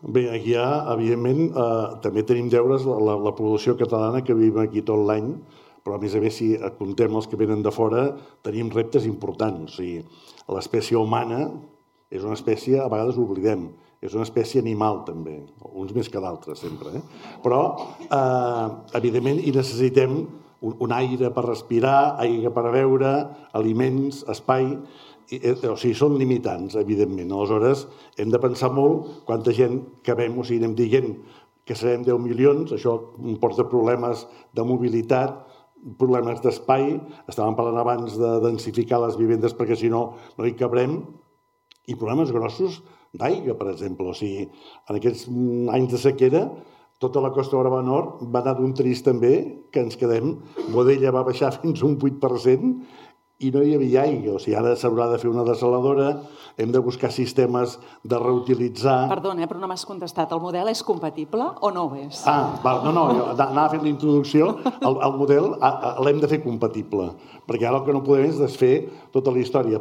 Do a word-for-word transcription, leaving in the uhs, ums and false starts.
Bé, aquí hi ha, evidentment, eh, també tenim deures la, la, la població catalana que vivim aquí tot l'any, però a més a més, si comptem els que venen de fora, tenim reptes importants. O sigui, l'espècie humana és una espècie, a vegades ho oblidem, és una espècie animal també, uns més que d'altres sempre, eh? Però, eh, evidentment, hi necessitem un, un aire per respirar, aigua per beure, aliments, espai. O sigui, són limitants, evidentment. Aleshores, hem de pensar molt quanta gent que vam, o sigui, anem dient que serem deu milions, això porta problemes de mobilitat, problemes d'espai, estàvem parlant abans de densificar les vivendes perquè si no, no hi cabrem, i problemes grossos d'aigua, per exemple. O sigui, en aquests anys de sequera, tota la Costa Brava Nord va anar d'un trist també, que ens quedem, Boadella va baixar fins a un vuit per cent i no hi havia aigua. O sigui, ara s'haurà de fer una desaladora, hem de buscar sistemes de reutilitzar... Perdona, però no m'has contestat. El model és compatible o no ho és? Ah, val, no, no, jo anava fent la introducció. El, el model l'hem de fer compatible, perquè ara el que no podem és desfer tota la història.